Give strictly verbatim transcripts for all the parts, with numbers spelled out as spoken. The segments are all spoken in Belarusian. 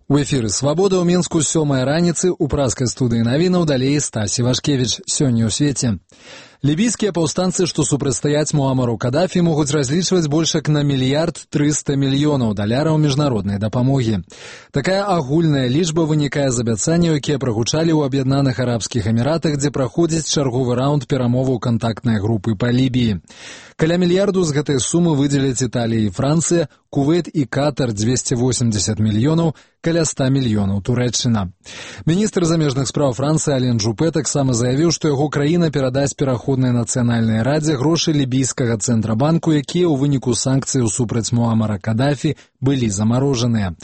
У эфіры «Свабода» ў Мінску сёмая раніцы ў праскай студыі навінаў далей Стасі Вашкевіч. Сёння ў свеце. Лібійскія паўстанцы, што супрацьстаяць Муамару Кадафі, могуць разлічваць больш як на мільярд трыста мільёнаў даляраў міжнароднай дапамогі. Такая агульная лічба вынікае з абяцанняў, якія прагучалі ў Аб'яднаных Арабскіх Эміратах, дзе праходзіць чарговы раунд перамоваў кантактнай групы па Лібіі. Каля мільярду з гэтай сумы выдзеляць Італія і Францыя, Кувейт і Катар дзвесце восемьдесят мільёнаў, каля ста мільёнаў Турэччына. Міністр замежных спраў Францыі Ален Жупе таксама заявіў, што яго краіна перадасць пераходнай нацыянальнай радзе грошы лібійскага цэнтрабанку, якія ў выніку санкцыяў супраць Муамара Кадафі былі замарожаныя.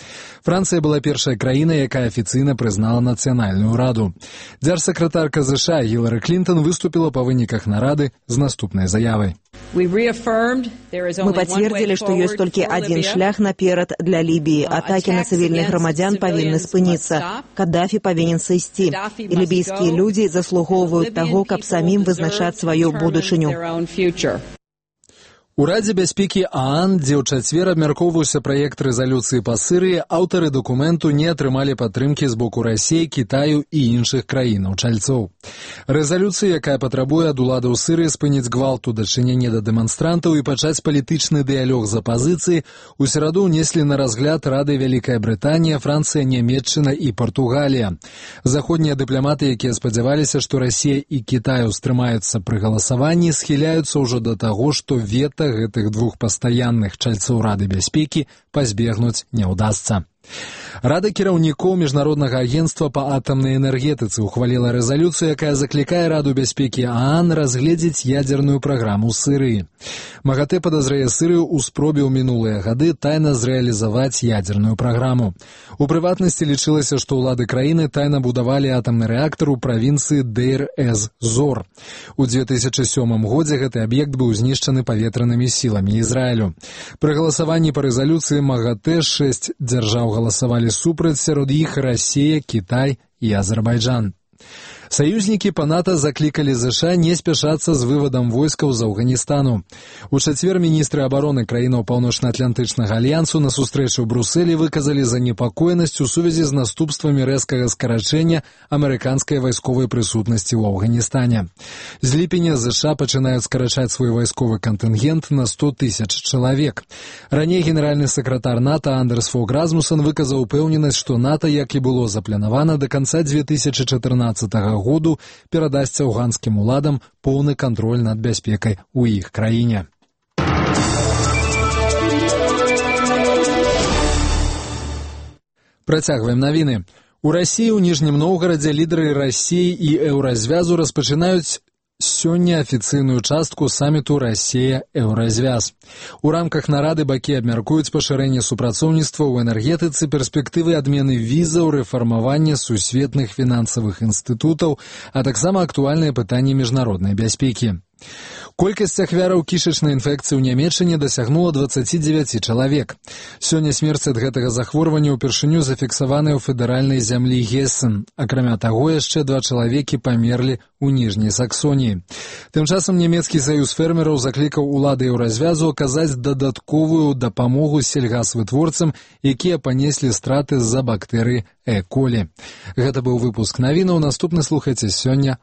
Францыя была першай краінай, якая афіцыйна прызнала нацыянальную раду. Дзяржсакратарка ЗША Гілары Клінтон выступіла па выніках нарады з наступнай заявай. Мы подтвердили, что есть только один шлях наперад для Либии. Атаки на цивильных громадян повинны спыніцца. Каддафі повинен сысці. И либийские люди заслуговывают того, каб самим вызначаць свою будучыню. У Радзе бяспекі ААН, дзе ў чацвер абмяркоўваўся праект рэзалюцыі па Сырыі, аўтары дакументу не атрымалі падтрымкі з боку Расіі, Кітаю і іншых краінаў-чальцоў. Рэзалюцыя, якая патрабуе ад уладаў Сырыі спыніць гвалт у дачыненні да дэманстрантаў і пачаць палітычны дыялог з апазіцыяй, у сераду ўнеслі на разгляд Рады Вялікая Брытанія, Францыя, Нямецчына і Партугалія. Заходнія дыпламаты, якія спадзяваліся, што Расія і Кітай устрымаюцца пры галасаванні, схіляюцца ўжо да таго, што вета гэтых двух пастаянных чальцоў Рады бяспекі пазбегнуць не ўдасца. Рада кіраўнікоў Міжнароднага агенцтва па атамнай энергетыцы ухваліла рэзалюцыю, якая заклікае Раду бяспекі ААН разгледзець ядзерную праграму Сырыі. МАГАТЭ падазрае Сырыю ў спробе ў мінулыя гады тайна зрэалізаваць ядзерную праграму. У прыватнасці лічылася, што ўлады краіны тайна будавалі атамны рэактар у правінцыі Дейр-эз-Зор. У две тысячы сёмым годзе гэты аб'ект быў знішчаны паветранымі сіламі Ізраілю. Пры галасаванні па рэзалюцыі МАГАТЭ шэсць дзяржаў галасавалі супраць, сярод іх Расія, Кітай і Азербайджан. Саюзнікі па НАТО заклікалі ЗША не спяшацца з вывадам войскаў з Афганістану. У чацвер міністры абароны краінаў Паўночна-Атлантычнага альянсу на сустрэчы ў Брусэлі выказалі занепакоенасць у сувязі з наступствамі рэзкага скарачэння амерыканскай вайсковай прысутнасці ў Афганістане. З ліпеня ЗША пачынаюць скарачаць свой вайсковы кантынгент на сто тысяч чалавек. Раней генеральны сакратар НАТО Андерс Фог Расмуссен выказаў упэўненасць, што НАТО, як і было запланавана, да канца две тысячы чатырнаццатага году перадасць афганскім уладам поўны кантроль над бяспекай у іх краіне. Працягваем навіны. У Расіі ў Ніжнім Новгарадзе лідары Расіі і Еўразвязу распачынаюць сёння афіцыйную частку саміту Расія-Еўразвяз. У рамках нарады бакі абмяркуюць пашырэнне супрацоўніцтва ў энергетыцы, перспектывы адмены візаў, рэфармавання сусветных фінансавых інстытутаў, а таксама актуальныя пытанні міжнароднай бяспекі. Колькасць ахвяраў кішачнай інфекцыі ў Нямецчыне дасягнула дваццаць дзевяць чалавек. Сёння смерць ад гэтага захворвання ўпершыню зафіксаваная ў федэральнай зямлі Гессен. Акрамя таго, яшчэ два чалавекі памерлі ў Ніжняй Саксоніі. Тым часам нямецкі саюз фермераў заклікаў улады Еўразвязу аказаць дадатковую дапамогу сельгасвытворцам, якія панеслі страты з-за бактэрыі Э. колі. Гэта быў выпуск навінаў. Наступны слухайце сёння